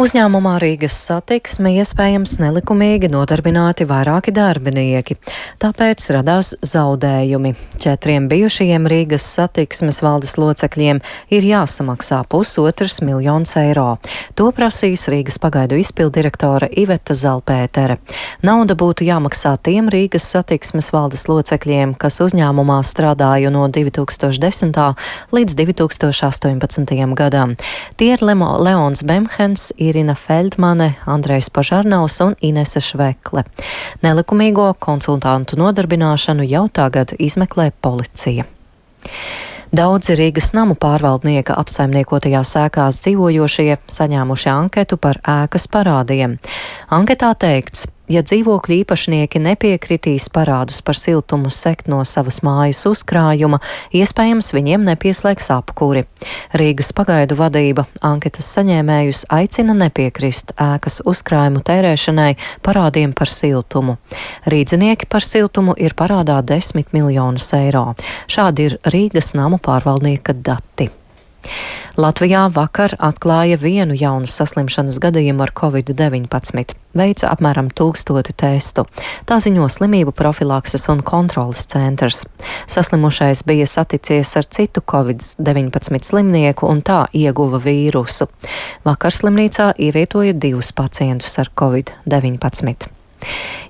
Uzņēmumā Rīgas Satiksme iespējams nelikumīgi nodarbināti vairāki darbinieki, tāpēc radās zaudējumi. 4 bijušajiem Rīgas Satiksmes valdes locekļiem ir jāsamaksā 1,5 miljonus eiro. To prasīs Rīgas pagaidu izpildirektore Iveta Zalpētere. Nauda būtu jāmaksā tiem Rīgas Satiksmes valdes locekļiem, kas uzņēmumā strādāja no 2010. līdz 2018. gadam. Tie ir Leons Bemhens, Irina Feldmane, Andrejs Požarnaus un Inese Švekle. Nelikumīgo konsultantu nodarbināšanu jau tagad izmeklē policija. Daudzi Rīgas namu pārvaldnieka apsaimniekotajās ēkās dzīvojošie saņēmuši anketu par ēkas parādiem. Anketā teikts, ja dzīvokļu īpašnieki nepiekritīs parādus par siltumu sekt no savas mājas uzkrājuma, iespējams viņiem nepieslēgs apkuri. Rīgas pagaidu vadība anketas saņēmējus aicina nepiekrist ēkas uzkrājumu tērēšanai parādiem par siltumu. Rīdzinieki par siltumu ir parādā 10 miljonus eiro. Šādi ir Rīgas namu pārvaldnieka dati. Latvijā vakar atklāja vienu jaunu saslimšanas gadījumu ar Covid-19. Veica apmēram 1000 testu. Tā ziņo Slimību profilakses un kontroles centrs. Saslimušais bija saticies ar citu Covid-19 slimnieku un tā ieguva vīrusu. Vakar slimnīcā ievietoja 2 pacientus ar Covid-19.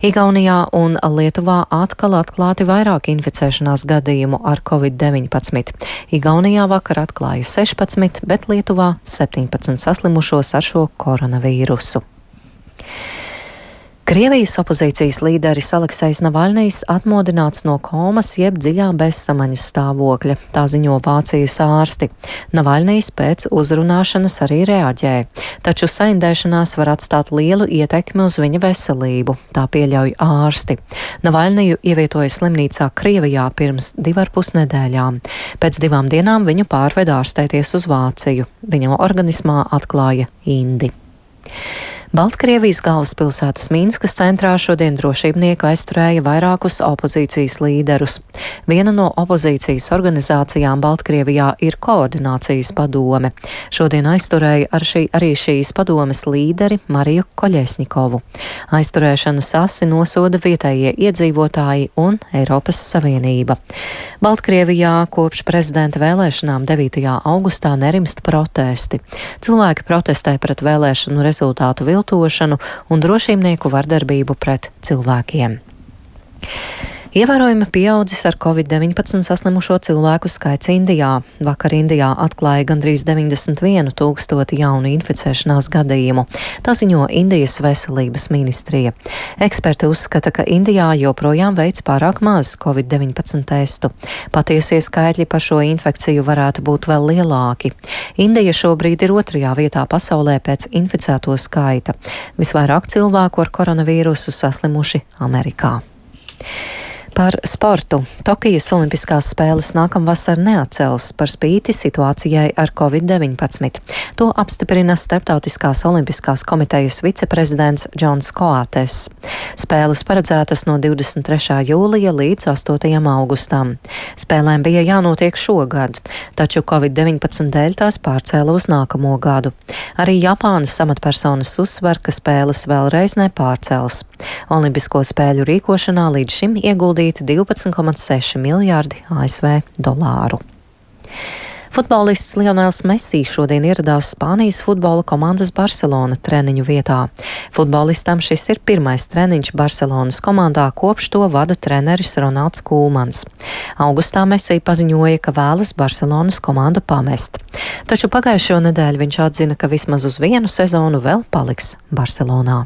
Igaunijā un Lietuvā atkal atklāti vairāk inficēšanās gadījumu ar Covid-19. Igaunijā vakar atklāja 16, bet Lietuvā 17 saslimušos ar šo koronavīrusu. Krievijas opozīcijas līderis Aleksejs Navaļnijs atmodināts no komas jeb dziļā bezsamaņas stāvokļa, tā ziņo Vācijas ārsti. Navaļnijs pēc uzrunāšanas arī reaģēja, taču saindēšanās var atstāt lielu ietekmi uz viņa veselību, tā pieļauj ārsti. Navaļniju ievietoja slimnīcā Krievijā pirms 2,5 nedēļām. Pēc 2 dienām viņu pārveda ārstēties uz Vāciju. Viņa organismā atklāja indi. Baltkrievijas galvaspilsētas Minskas centrā šodien drošībnieki aizturēja vairākus opozīcijas līderus. Viena no opozīcijas organizācijām Baltkrievijā ir Koordinācijas padome. Šodien aizturēja arī šīs padomes līderi Mariju Koļesņikovu. Aizturēšanas asi nosoda vietējie iedzīvotāji un Eiropas Savienība. Baltkrievijā kopš prezidenta vēlēšanām 9. augustā nerimst protesti. Cilvēki protestē pret vēlēšanu rezultātu viltošanu un drošībnieku vardarbību pret cilvēkiem. Ievērojami pieaudzis ar Covid-19 saslimušo cilvēku skaits Indijā. Vakar Indijā atklāja gandrīz 91 000 jaunu inficēšanās gadījumu. Tā ziņo Indijas veselības ministrija. Eksperti uzskata, ka Indijā joprojām veic pārāk maz Covid-19 testu. Patiesie skaitļi par šo infekciju varētu būt vēl lielāki. Indija šobrīd ir 2. vietā pasaulē pēc inficēto skaita. Visvairāk cilvēku ar koronavīrusu saslimuši Amerikā. Par sportu. Tokijas Olimpiskās spēles nākamvasar neatcels par spīti situācijai ar Covid-19. To apstiprina Starptautiskās olimpiskās komitejas viceprezidents Džons Koates. Spēles paredzētas no 23. jūlija līdz 8. augustam. Spēlēm bija jānotiek šogad, taču Covid-19 dēļ tās pārcēla uz nākamo gadu. Arī Japānas amatpersonas uzsver, ka spēles vēlreiz nepārcels. Olimpisko spēļu rīkošanā līdz šim ieguldīti 12,6 miljārdi ASV dolāru. Futbolists Lionels Messi šodien ieradās Spānijas futbola komandas Barcelona treniņu vietā. Futbolistam šis ir pirmais treniņš Barcelonas komandā, kopš to vada treneris Ronalds Kūmans. Augustā Messi paziņoja, ka vēlas Barcelonas komandu pamest. Taču pagājušo nedēļu viņš atzina, ka vismaz uz vienu sezonu vēl paliks Barcelonā.